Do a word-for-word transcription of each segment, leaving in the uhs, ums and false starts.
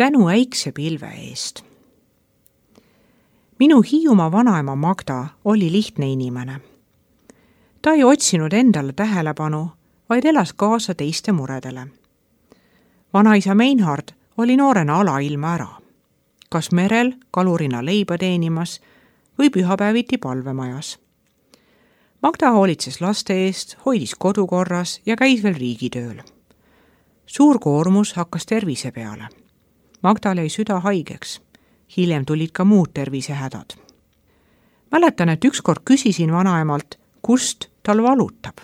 tänu äiksepilve eest. Minu Hiiumaa vanaema Magda oli lihtne inimene. Ta ei otsinud endale tähelepanu, vaid elas kaasa teiste muredele. Vanaisa Meinhard oli noorena alailma ära. Kas merel kalurina leiba teenimas või pühapäeviti palvemajas. Magda hoolitses laste eest, hoidis kodukorras ja käis veel riigitööl. Suur koormus hakkas tervise peale. Magdal jäi süda haigeks. Hiljem tulid ka muud tervisehädad. Mäletan, et ükskord küsisin vanaemalt, kust tal valutab.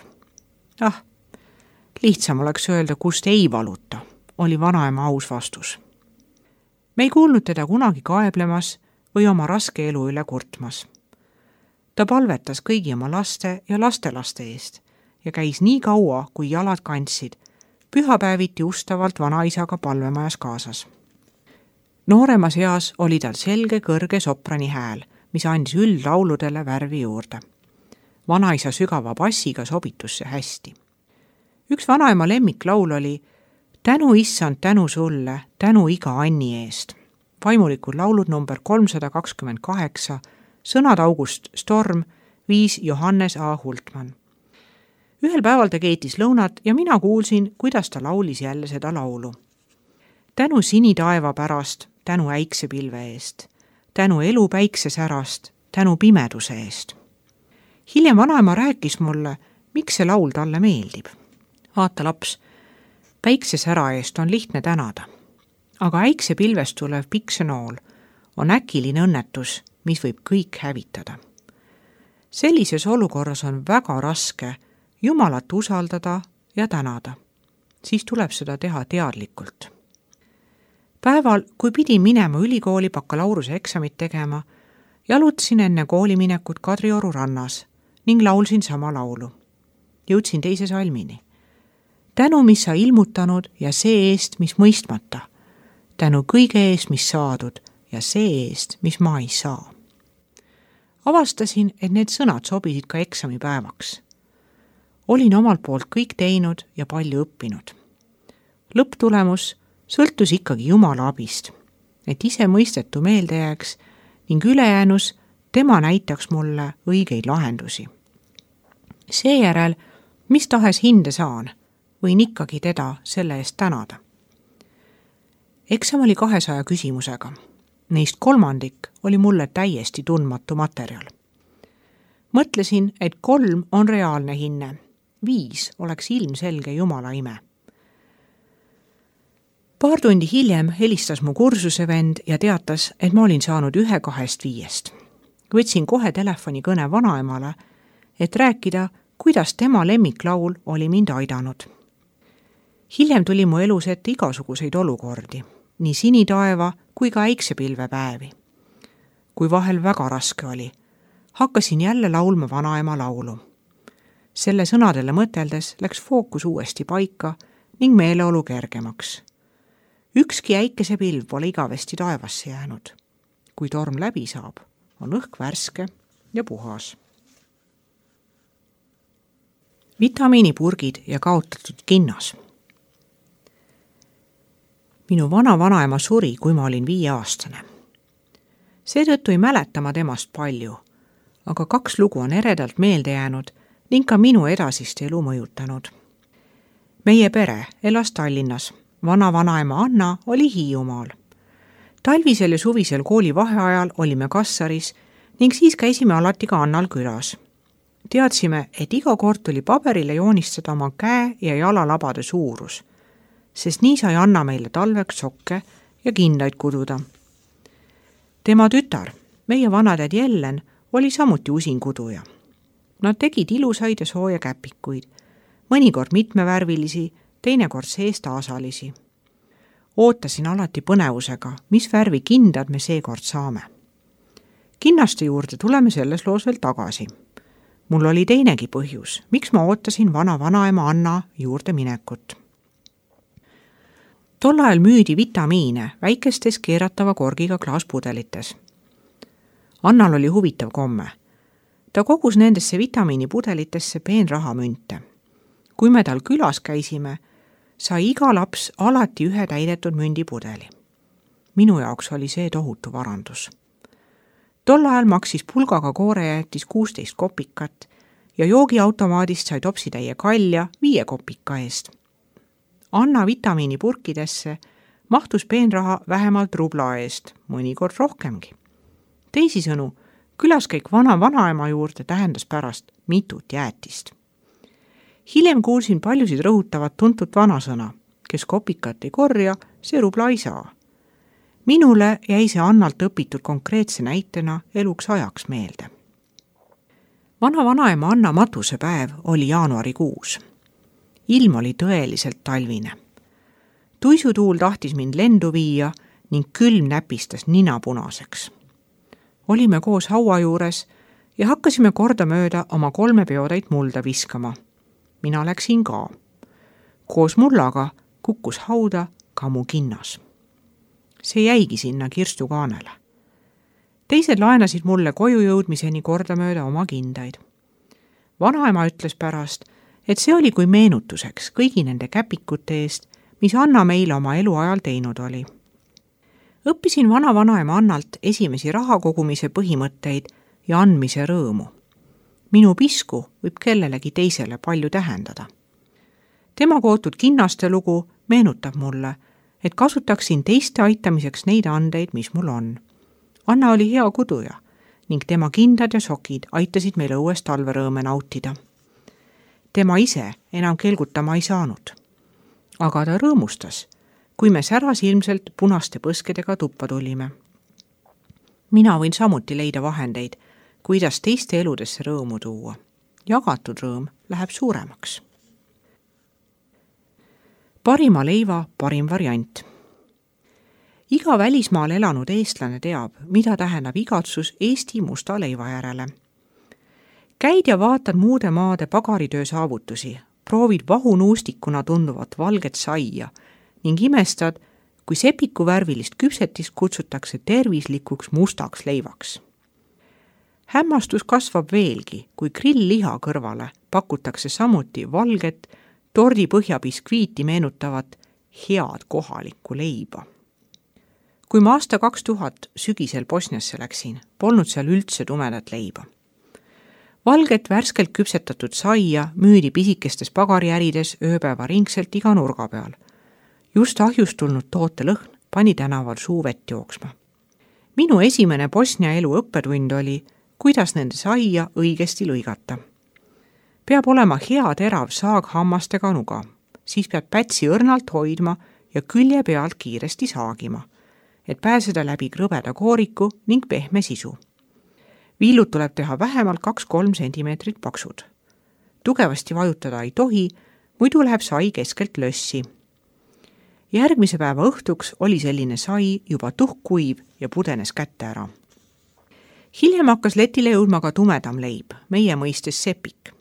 Ah, lihtsam oleks öelda, kust ei valuta, oli vanaema aus vastus. Me ei kuulnud teda kunagi kaeblemas või oma raske elu üle kurtmas. Ta palvetas kõigi oma laste ja lastelaste eest ja käis nii kaua, kui jalad kandsid, pühapäeviti ustavalt vanaisaga palvemajas kaasas. Nooremas eas oli tal selge kõrge soprani hääl, mis andis üldlauludele värvi juurde. Vanaisa sügava bassiga sobitus see hästi. Üks vanaema lemmiklaul oli Tänu issand, tänu sulle, tänu iga Anni eest. Vaimulikud laulud number kolmsada kakskümmend kaheksa, sõnad August Storm, viis Johannes A. Hultmann. Ühel päeval ta keetis lõunat ja mina kuulsin, kuidas ta laulis jälle seda laulu. Tänu sinitaeva pärast, tänu äiksepilve eest, tänu elu päiksesärast, tänu pimeduse eest. Hiljem vanaema rääkis mulle, miks see laul talle meeldib. Vaata laps, päiksesära eest on lihtne tänada, aga äiksepilvest tulev piksenool on äkiline õnnetus, mis võib kõik hävitada. Sellises olukorras on väga raske Jumalat usaldada ja tänada. Siis tuleb seda teha teadlikult. Päeval, kui pidin minema ülikooli bakalaureuse eksamit tegema, jalutasin enne kooliminekut Kadrioru rannas ning laulsin sama laulu. Jõudsin teise salmini. Tänu, mis sa ilmutanud ja see eest, mis mõistmata. Tänu kõige eest, mis saadud ja see eest, mis ma ei saa. Avastasin, et need sõnad sobisid ka eksamipäevaks. Olin omalt poolt kõik teinud ja palju õppinud. Lõpptulemus sõltus ikkagi Jumala abist, et ise mõistetu meelde jääks ning ülejäänus tema näitaks mulle õigeid lahendusi. Seejärel, mis tahes hinde saan, võin ikkagi teda selle eest tänada. Eksam oli kahesaja küsimusega. Neist kolmandik oli mulle täiesti tundmatu materjal. Mõtlesin, et kolm on reaalne hinne. Viis oleks ilmselge Jumala ime. Paar tundi hiljem helistas mu kursuse vend ja teatas, et ma olin saanud ühe kahest viiest. Võtsin kohe telefoni kõne vanaemale, et rääkida, kuidas tema lemmiklaul oli mind aidanud. Hiljem tuli mu elus ette igasuguseid olukordi, nii sinitaeva kui ka äiksepilvepäevi. Kui vahel väga raske oli, hakkasin jälle laulma vanaema laulu. Selle sõnadele mõteldes läks fookus uuesti paika ning meeleolu kergemaks. Ükski äikesepilv pole igavesti taevasse jäänud. Kui torm läbi saab, on õhk värske ja puhas. Vitamiinipurgid ja kaotatud kinnas. Minu vana-vanaema suri, kui ma olin viieaastane. Seetõttu ei mäleta ma temast palju, aga kaks lugu on eredalt meelde jäänud ning ka minu edasist elu mõjutanud. Meie pere elas Tallinnas. Vana-vanaema Anna oli Hiiumaal. Talvisel ja suvisel kooli vaheajal olime Kassaris ning siis käisime alati ka Annal külas. Teadsime, et iga kord tuli paberile joonistada oma käe ja jalalabade suurus, sest nii sai Anna meile talveks sokke ja kindaid kududa. Tema tütar, meie vanatädi Ellen, oli samuti usin kuduja. Nad tegid ilusaid ja sooja käpikuid, mõnikord mitmevärvilisi, teinekord seestaasalisi. Ootasin alati põnevusega, mis värvi kindad me seekord saame. Kinnaste juurde tuleme selles loos veel tagasi. Mul oli teinegi põhjus, miks ma ootasin vana-vanaema Anna juurde minekut. Tol ajal müüdi vitamiine väikestes keeratava korgiga klaaspudelites. Annal oli huvitav komme. Ta kogus nendesse vitamiinipudelitesse peenrahamünte. Kui me tal külas käisime, sai iga laps alati ühe täidetud mündipudeli. Minu jaoks oli see tohutu varandus. Tol ajal maksis pulgaga koorejäätis kuusteist kopikat ja joogiautomaadist sai topsitäie kalja viie kopika eest. Anna vitamiinipurkidesse mahtus peenraha vähemalt rubla eest, mõnikord rohkemgi. Teisisõnu, külaskäik vana vanaema juurde tähendas pärast mitut jäätist. Hiljem kuulsin paljusid rõhutavat tuntud vanasõna, kes kopikat ei korja, see rubla ei saa. Minule jäi see Annalt õpitud konkreetse näitena eluks ajaks meelde. Vana vanaema Anna matusepäev oli jaanuarikuus. Ilm oli tõeliselt talvine. Tuisutuul tahtis mind lendu viia ning külm näpistas nina punaseks. Olime koos haua juures ja hakkasime kordamööda oma kolme peotäit mulda viskama. Mina läksin ka. Koos mullaga kukkus hauda ka mu kinnas. See jäigi sinna kirstukaanele. Teised laenasid mulle koju jõudmiseni kordamööda oma kindaid. Vanaema ütles pärast, et see oli kui meenutuseks kõigi nende käpikute eest, mis Anna meile oma eluajal teinud oli. Õppisin vana vanaema Annalt esimesi rahakogumise põhimõtteid ja andmise rõõmu. Minu pisku võib kellelegi teisele palju tähendada. Tema kootud kinnaste lugu meenutab mulle, et kasutaksin teiste aitamiseks neid andeid, mis mul on. Anna oli hea kuduja ning tema kindad ja sokid aitasid meil õues talverõõme nautida. Tema ise enam kelgutama ei saanud. Aga ta rõõmustas, kui me säras ilmselt punaste põskedega tuppa tulime. Mina võin samuti leida vahendeid, kuidas teiste eludesse rõõmu tuua. Jagatud rõõm läheb suuremaks. Parima leiva parim variant. Iga välismaal elanud eestlane teab, mida tähendab igatsus Eesti musta leiva järele. Käid ja vaatad muude maade pagaritöö saavutusi, proovid vahunuustikuna tunduvat valget saia ning imestad, kui sepiku värvilist küpsetist kutsutakse tervislikuks mustaks leivaks. Hämmastus kasvab veelgi, kui grill-liha kõrvale pakutakse samuti valget tordi põhjabiskviiti meenutavat head kohalikku leiba. Kui ma aasta kaks tuhat sügisel Bosniasse läksin, polnud seal üldse tumedat leiba. Valget värskelt küpsetatud saia müüdi pisikestes pagariärides ööpäeva ringselt iga nurga peal. Just ahjust tulnud toote lõhn pani tänaval suuvett jooksma. Minu esimene Bosnia elu õppetund oli, kuidas nende saia õigesti lõigata. Peab olema hea terav saag hammastega nuga, siis peab pätsi õrnalt hoidma ja külje pealt kiiresti saagima, et pääseda läbi krõbeda kooriku ning pehme sisu. Viilud tuleb teha vähemalt kaks-kolm sentimeetrit paksud. Tugevasti vajutada ei tohi, muidu läheb sai keskelt lössi. Järgmise päeva õhtuks oli selline sai juba tuhkuiv ja pudenes kätte ära. Hiljem hakkas letile jõudma ka tumedam leib, meie mõistes sepik.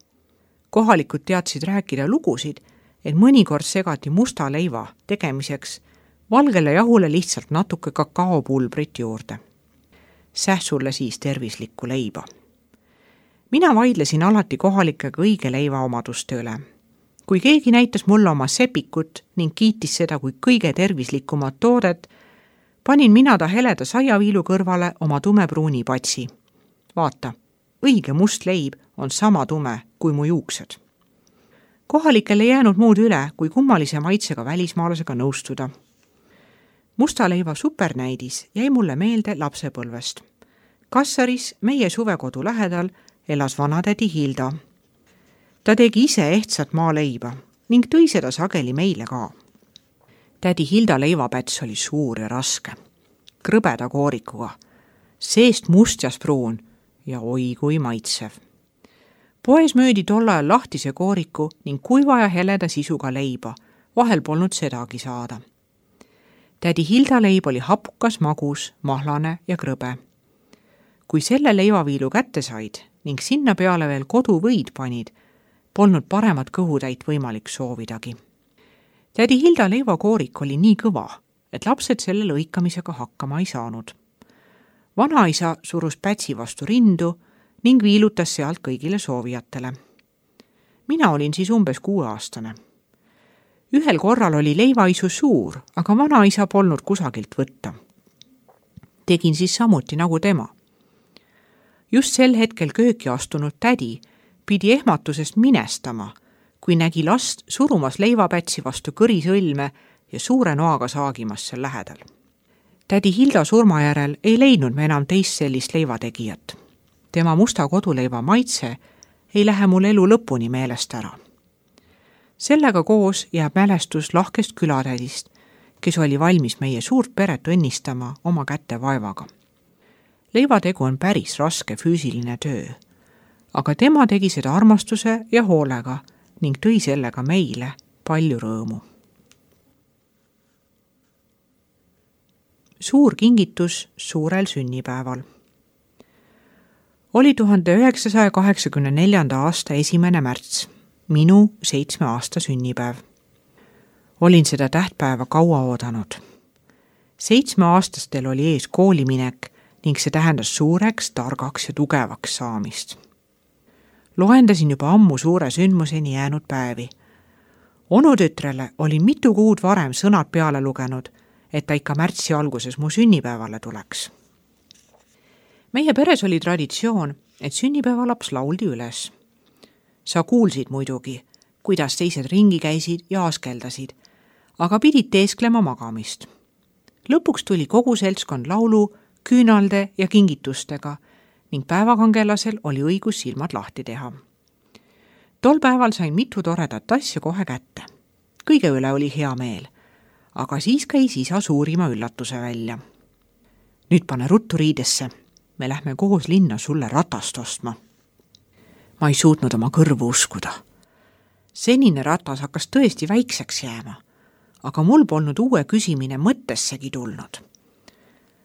Kohalikud teadsid rääkida lugusid, et mõnikord segati musta leiva tegemiseks valgele jahule lihtsalt natuke kakaopulbrit juurde. Sähsulle siis tervislikku leiba. Mina vaidlesin alati kohalikega õige leiva omaduste üle. Kui keegi näitas mulle oma sepikut ning kiitis seda kui kõige tervislikumat toodet, panin mina ta heleda saiaviilu kõrvale oma tumepruuni patsi. Vaata, õige must leib on sama tume kui mu juuksed. Kohalikel ei jäänud muud üle, kui kummalise maitsega välismaalasega nõustuda. Musta leiva supernäidis jäi mulle meelde lapsepõlvest. Kassaris meie suvekodu lähedal elas vanatädi Hilda. Ta tegi ise ehtsat maaleiba ning tõi seda sageli meile ka. Tädi Hilda leivapäts oli suur ja raske, krõbeda koorikuga, seest mustjas pruun ja oi kui maitsev. Poes müüdi tol ajal lahtise kooriku ning kuiva ja heleda sisuga leiba, vahel polnud sedagi saada. Tädi Hilda leib oli hapukas, magus, mahlane ja krõbe. Kui selle leivaviilu kätte said ning sinna peale veel koduvõid panid, polnud paremat kõhutäit võimalik soovidagi. Tädi Hilda leivakoorik oli nii kõva, et lapsed selle lõikamisega hakkama ei saanud. Vanaisa surus pätsi vastu rindu ning viilutas sealt kõigile soovijatele. Mina olin siis umbes kuueaastane. Ühel korral oli leivaisu suur, aga vanaisa polnud kusagilt võtta. Tegin siis samuti nagu tema. Just sel hetkel kööki astunud tädi pidi ehmatusest minestama, kui nägi last surumas leivapätsi vastu kõrisõlme ja suure noaga saagimas seal lähedal. Tädi Hilda surma järel ei leidnud me enam teist sellist leivategijat. Tema musta koduleiva maitse ei lähe mul elu lõpuni meelest ära. Sellega koos jääb mälestus lahkest külatädist, kes oli valmis meie suurt peret õnnistama oma kätte vaevaga. Leivategu on päris raske füüsiline töö, aga tema tegi seda armastuse ja hoolega ning tõi sellega meile palju rõõmu. Suur kingitus suurel sünnipäeval. Oli tuhande üheksasaja kaheksakümne neljanda aasta esimene märts, minu seitsme aasta sünnipäev. Olin seda tähtpäeva kaua oodanud. Seitsmeaastastel oli ees kooliminek ning see tähendas suureks, targaks ja tugevaks saamist. Loendasin juba ammu suure sündmuseni jäänud päevi. Onutütrele olin mitu kuud varem sõnad peale lugenud, et ta ikka märtsi alguses mu sünnipäevale tuleks. Meie peres oli traditsioon, et sünnipäevalaps lauldi üles. Sa kuulsid muidugi, kuidas teised ringi käisid ja askeldasid, aga pidid teesklema magamist. Lõpuks tuli kogu seltskond laulu, küünalde ja kingitustega ning päevakangelasel oli õigus silmad lahti teha. Tol päeval sain mitu toredat asja kohe kätte. Kõige üle oli hea meel, aga siis käis isa suurima üllatuse välja. Nüüd pane ruttu riidesse, me lähme koos linna sulle ratast ostma. Ma ei suutnud oma kõrvu uskuda. Senine ratas hakkas tõesti väikseks jääma, aga mul polnud uue küsimine mõttessegi tulnud.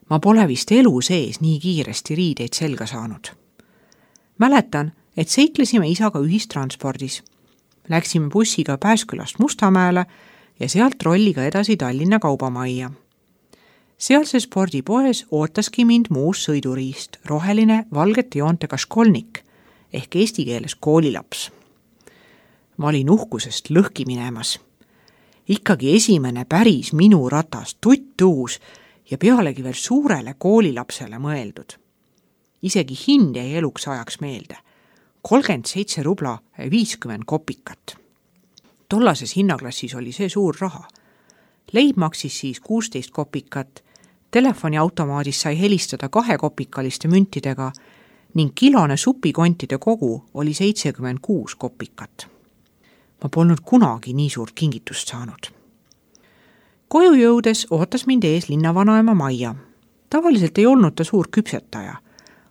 Ma pole vist elu sees nii kiiresti riideid selga saanud. Mäletan, et seiklesime isaga ühistranspordis. Läksime bussiga Pääskülast Mustamäele ja sealt rolliga edasi Tallinna kaubamajja. Sealse spordipoes ootaski mind muus sõiduriist, roheline valgete joontega školnik ehk eesti keeles koolilaps. Ma olin uhkusest lõhki minemas. Ikkagi esimene päris minu ratas, tuttuus ja pealegi veel suurele koolilapsele mõeldud. Isegi hind jäi eluks ajaks meelde. kolmkümmend seitse rubla viiskümmend kopikat. Tollases hinnaklassis oli see suur raha. Leib maksis siis kuusteist kopikat, telefoniautomaadis sai helistada kahekopikaliste müntidega ning kilone supikontide kogu oli seitsekümmend kuus kopikat. Ma polnud kunagi nii suurt kingitust saanud. Koju jõudes ootas mind ees linnavanaema Maia. Tavaliselt ei olnud ta suur küpsetaja,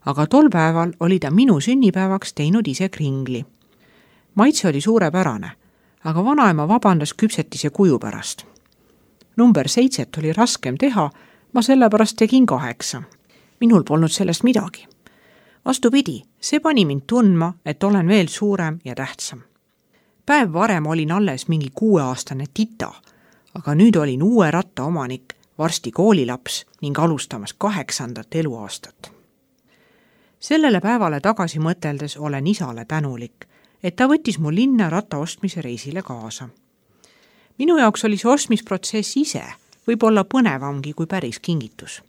aga tol päeval oli ta minu sünnipäevaks teinud ise kringli. Maitse oli suurepärane, aga vanaema vabandas küpsetise kuju pärast. Number seitset oli raskem teha, ma sellepärast tegin kaheksa. Minul polnud sellest midagi. Vastupidi, see pani mind tundma, et olen veel suurem ja tähtsam. Päev varem olin alles mingi kuueaastane tita, aga nüüd olin uue ratta omanik, varsti koolilaps ning alustamas kaheksandat eluaastat. Sellele päevale tagasi mõteldes olen isale tänulik, et ta võttis mu linna ratta ostmise reisile kaasa. Minu jaoks oli see ostmisprotsess ise võib-olla põnevamgi kui päris kingitus.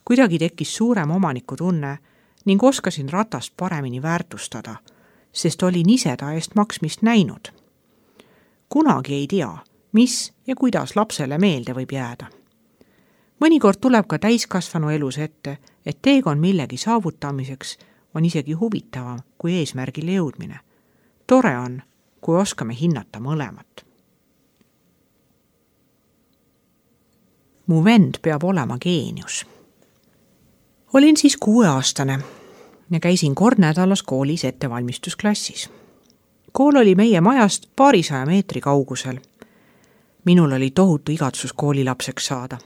Kuidagi tekkis suurem omaniku tunne ning oskasin ratast paremini väärtustada, sest olin ise ta eest maksmist näinud. Kunagi ei tea, mis ja kuidas lapsele meelde võib jääda. Mõnikord tuleb ka täiskasvanu elus ette, et teekond millegi saavutamiseks on isegi huvitavam kui eesmärgile jõudmine. Tore on, kui oskame hinnata mõlemat. Mu vend peab olema geenius. Olin siis kuueaastane ja käisin kord nädalas koolis ettevalmistusklassis. Kool oli meie majast paarisaja meetri kaugusel. Minul oli tohutu igatsus koolilapseks saada.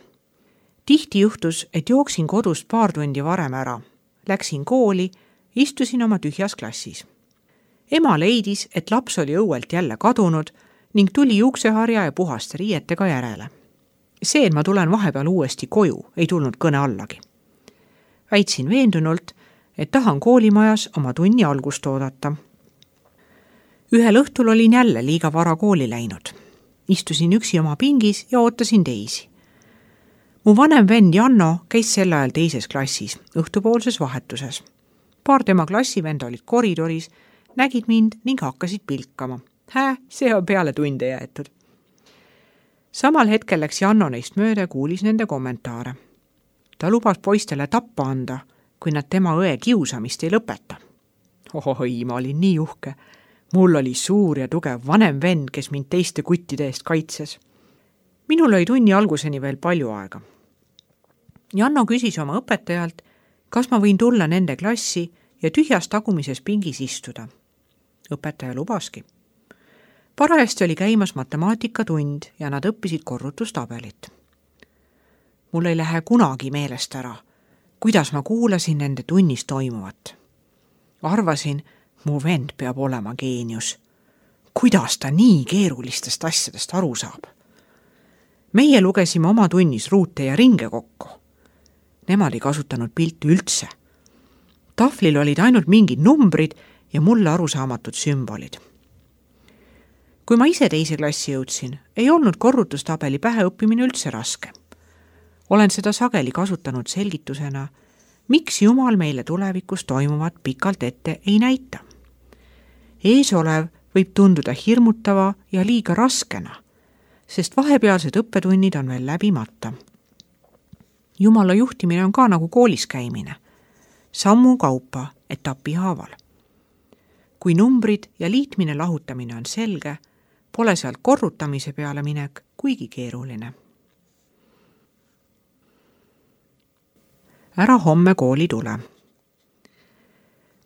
Tihti juhtus, et jooksin kodust paar tundi varem ära. Läksin kooli, istusin oma tühjas klassis. Ema leidis, et laps oli õuelt jälle kadunud ning tuli juukseharja ja puhaste riietega järele. See, et ma tulen vahepeal uuesti koju, ei tulnud kõne allagi. Väitsin veendunult, et tahan koolimajas oma tunni algust oodata. Ühel õhtul olin jälle liiga vara kooli läinud. Istusin üksi oma pingis ja ootasin teisi. mu vanem vend Janno käis sel ajal teises klassis, õhtupoolses vahetuses. Paar tema klassivenda olid koridoris, nägid mind ning hakkasid pilkama. Hää, see on peale tunde jäetud. Samal hetkel läks Janno neist mööda ja kuulis nende kommentaare. Ta lubas poistele tappa anda, kui nad tema õe kiusamist ei lõpeta. Ohoi, ma olin nii uhke. Mul oli suur ja tugev vanem vend, kes mind teiste kuttide eest kaitses. Minul oli tunni alguseni veel palju aega. Janno küsis oma õpetajalt, kas ma võin tulla nende klassi ja tühjas tagumises pingis istuda. Õpetaja lubaski. Parajasti oli käimas matemaatikatund ja nad õppisid korrutustabelit. Mul ei lähe kunagi meelest ära, kuidas ma kuulasin nende tunnis toimuvat. Arvasin, mu vend peab olema geenius. Kuidas ta nii keerulistest asjadest aru saab? Meie lugesime oma tunnis ruute ja ringe kokku. Nemad ei kasutanud pilti üldse. Tahvlil olid ainult mingid numbrid ja mulle arusaamatud sümbolid. Kui ma ise teise klassi jõudsin, ei olnud korrutustabeli pähe õppimine üldse raske. Olen seda sageli kasutanud selgitusena, miks Jumal meile tulevikus toimuvat pikalt ette ei näita. Ees olev võib tunduda hirmutava ja liiga raskena, sest vahepealsed õppetunnid on veel läbimata. Jumala juhtimine on ka nagu koolis käimine, sammu kaupa etapi haaval. Kui numbrid ja liitmine lahutamine on selge, pole sealt korrutamise peale minek kuigi keeruline. Ära homme kooli tule.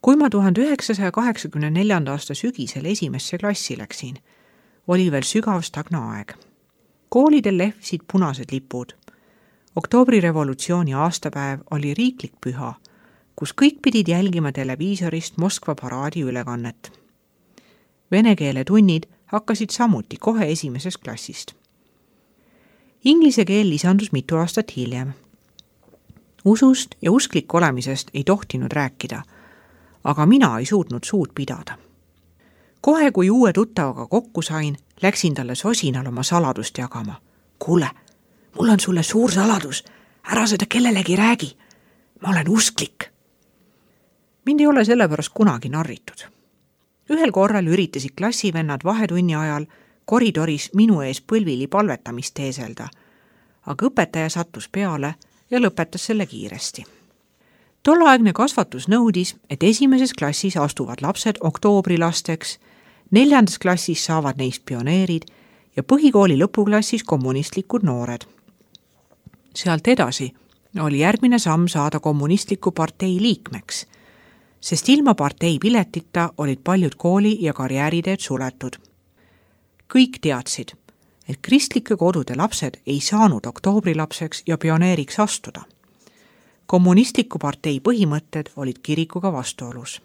Kui ma tuhande üheksasaja kaheksakümne neljanda aasta sügisel esimesse klassi läksin, oli veel sügav stagna aeg. Koolidel lehvisid punased lipud. Oktoobrirevolutsiooni aastapäev oli riiklik püha, kus kõik pidid jälgima televiisorist Moskva paraadi ülekannet. Vene keele tunnid hakkasid samuti kohe esimesest klassist. Inglise keel lisandus mitu aastat hiljem. Usust ja usklik olemisest ei tohtinud rääkida, aga mina ei suutnud suud pidada. Kohe, kui uue tuttavaga kokku sain, läksin talle sosinal oma saladust jagama. Kuule, mul on sulle suur saladus, ära seda kellelegi räägi. Ma olen usklik. Mind ei ole sellepärast kunagi narritud. Ühel korral üritasid klassivennad vahetunni ajal koridoris minu ees põlvili palvetamist teeselda, aga õpetaja sattus peale ja lõpetas selle kiiresti. Tolleaegne kasvatus nõudis, et esimeses klassis astuvad lapsed oktoobrilasteks, neljandas klassis saavad neist pioneerid ja põhikooli lõpuklassis kommunistlikud noored. Sealt edasi oli järgmine samm saada kommunistliku partei liikmeks, sest ilma partei piletita olid paljud kooli- ja karjääriteed suletud. Kõik teadsid, et kristlike kodude lapsed ei saanud oktoobrilapseks ja pioneeriks astuda. Kommunistliku partei põhimõtted olid kirikuga vastuolus.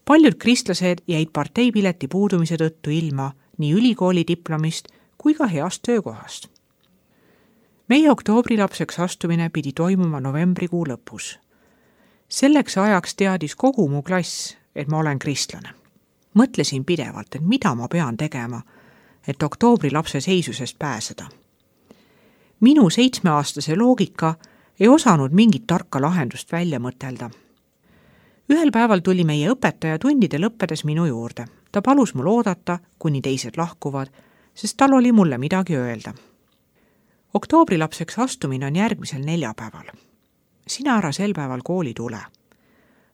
Paljud kristlased jäid parteipileti puudumise tõttu ilma nii ülikooli diplomist kui ka heast töökohast. Meie oktoobrilapseks astumine pidi toimuma novembrikuu lõpus. Selleks ajaks teadis kogu mu klass, et ma olen kristlane. Mõtlesin pidevalt, et mida ma pean tegema, et oktoobrilapse seisusest pääseda. Minu seitsmeaastase loogika ei osanud mingit tarka lahendust välja mõtelda. Ühel päeval tuli meie õpetaja tundide lõppedes minu juurde. Ta palus mul oodata, kuni teised lahkuvad, sest tal oli mulle midagi öelda. Oktoobrilapseks astumine on järgmisel neljapäeval. Sina ära sel päeval kooli tule.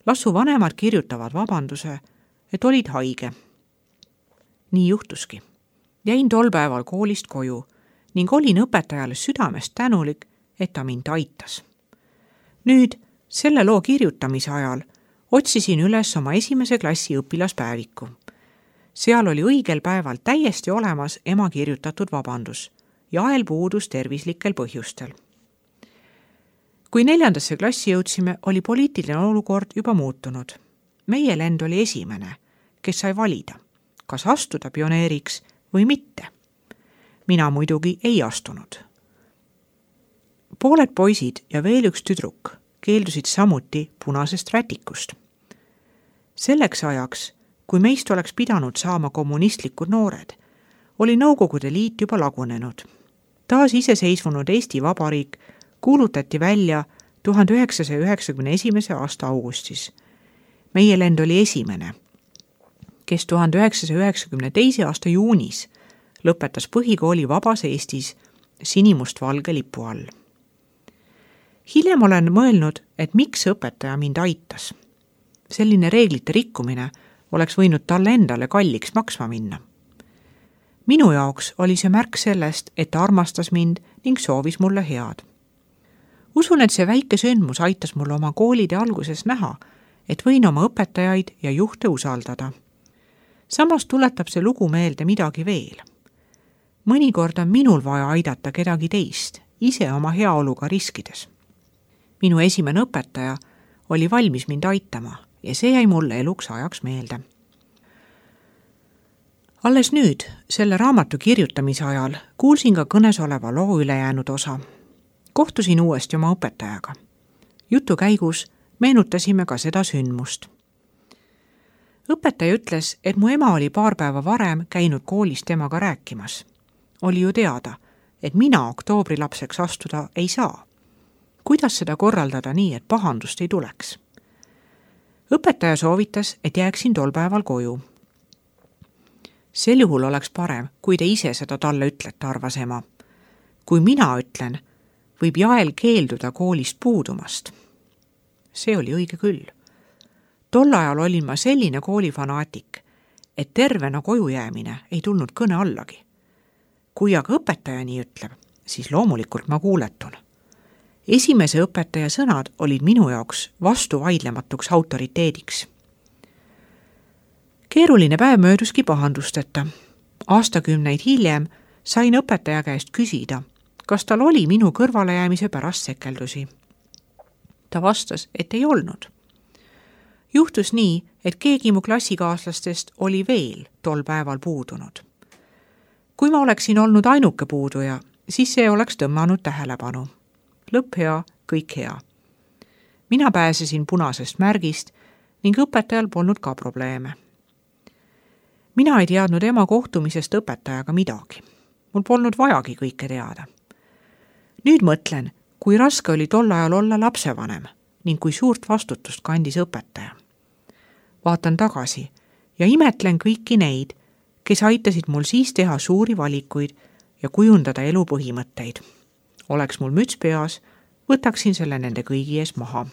Lassu vanemad kirjutavad vabanduse, et olid haige. Nii juhtuski. Jäin tol päeval koolist koju ning olin õpetajale südamest tänulik, et ta mind aitas. Nüüd, selle loo kirjutamise ajal, otsisin üles oma esimese klassi õpilaspäeviku. Seal oli õigel päeval täiesti olemas ema kirjutatud vabandus ja ael puudus tervislikel põhjustel. Kui neljandasse klassi jõudsime, oli poliitiline olukord juba muutunud. Meie lend oli esimene, kes sai valida, kas astuda pioneeriks või mitte. Mina muidugi ei astunud. Pooled poisid ja veel üks tüdruk keeldusid samuti punasest rätikust. Selleks ajaks, kui meist oleks pidanud saama kommunistlikud noored, oli Nõukogude Liit juba lagunenud. Taas iseseisvunud Eesti Vabariik kuulutati välja tuhande üheksasaja üheksakümne esimese aasta augustis. Meie lend oli esimene, kes tuhande üheksasaja üheksakümne teise aasta juunis lõpetas põhikooli vabas Eestis sinimustvalge lipu all. Hiljem olen mõelnud, et miks õpetaja mind aitas. Selline reeglite rikkumine oleks võinud talle endale kalliks maksma minna. Minu jaoks oli see märk sellest, et ta armastas mind ning soovis mulle head. Usun, et see väike sündmus aitas mulle oma koolide alguses näha, et võin oma õpetajaid ja juhte usaldada. Samas tuletab see lugu meelde midagi veel. Mõnikord on minul vaja aidata kedagi teist, ise oma heaoluga riskides. Minu esimene õpetaja oli valmis mind aitama ja see jäi mulle eluks ajaks meelde. Alles nüüd, selle raamatu kirjutamise ajal, kuulsin ka kõnes oleva loo ülejäänud osa. Kohtusin uuesti oma õpetajaga. Jutu käigus meenutasime ka seda sündmust. Õpetaja ütles, et mu ema oli paar päeva varem käinud koolis temaga rääkimas. Oli ju teada, et mina oktoobrilapseks astuda ei saa. Kuidas seda korraldada nii, et pahandust ei tuleks? Õpetaja soovitas, et jääksin tol päeval koju. Sel juhul oleks parem, kui te ise seda talle ütlete, arvas ema. Kui mina ütlen, võib Jael keelduda koolist puudumast. See oli õige küll. Tol ajal olin ma selline koolifanaatik, et tervena koju jäämine ei tulnud kõne allagi. Kui aga õpetaja nii ütleb, siis loomulikult ma kuuletun. Esimese õpetaja sõnad olid minu jaoks vastuvaidlematuks autoriteediks. Keeruline päev mööduski pahandusteta. Aastakümneid hiljem sain õpetaja käest küsida, kas tal oli minu kõrvalejäämise pärast sekeldusi. Ta vastas, et ei olnud. Juhtus nii, et keegi mu klassikaaslastest oli veel tol päeval puudunud. Kui ma oleksin olnud ainuke puuduja, siis see oleks tõmmanud tähelepanu. Lõpp hea, kõik hea. Mina pääsesin punasest märgist ning õpetajal polnud ka probleeme. Mina ei teadnud ema kohtumisest õpetajaga midagi. Mul polnud vajagi kõike teada. Nüüd mõtlen, kui raske oli tol ajal olla lapsevanem ning kui suurt vastutust kandis õpetaja. Vaatan tagasi ja imetlen kõiki neid, kes aitasid mul siis teha suuri valikuid ja kujundada elu põhimõtteid. Oleks mul müts peas, võtaksin selle nende kõigi ees maha.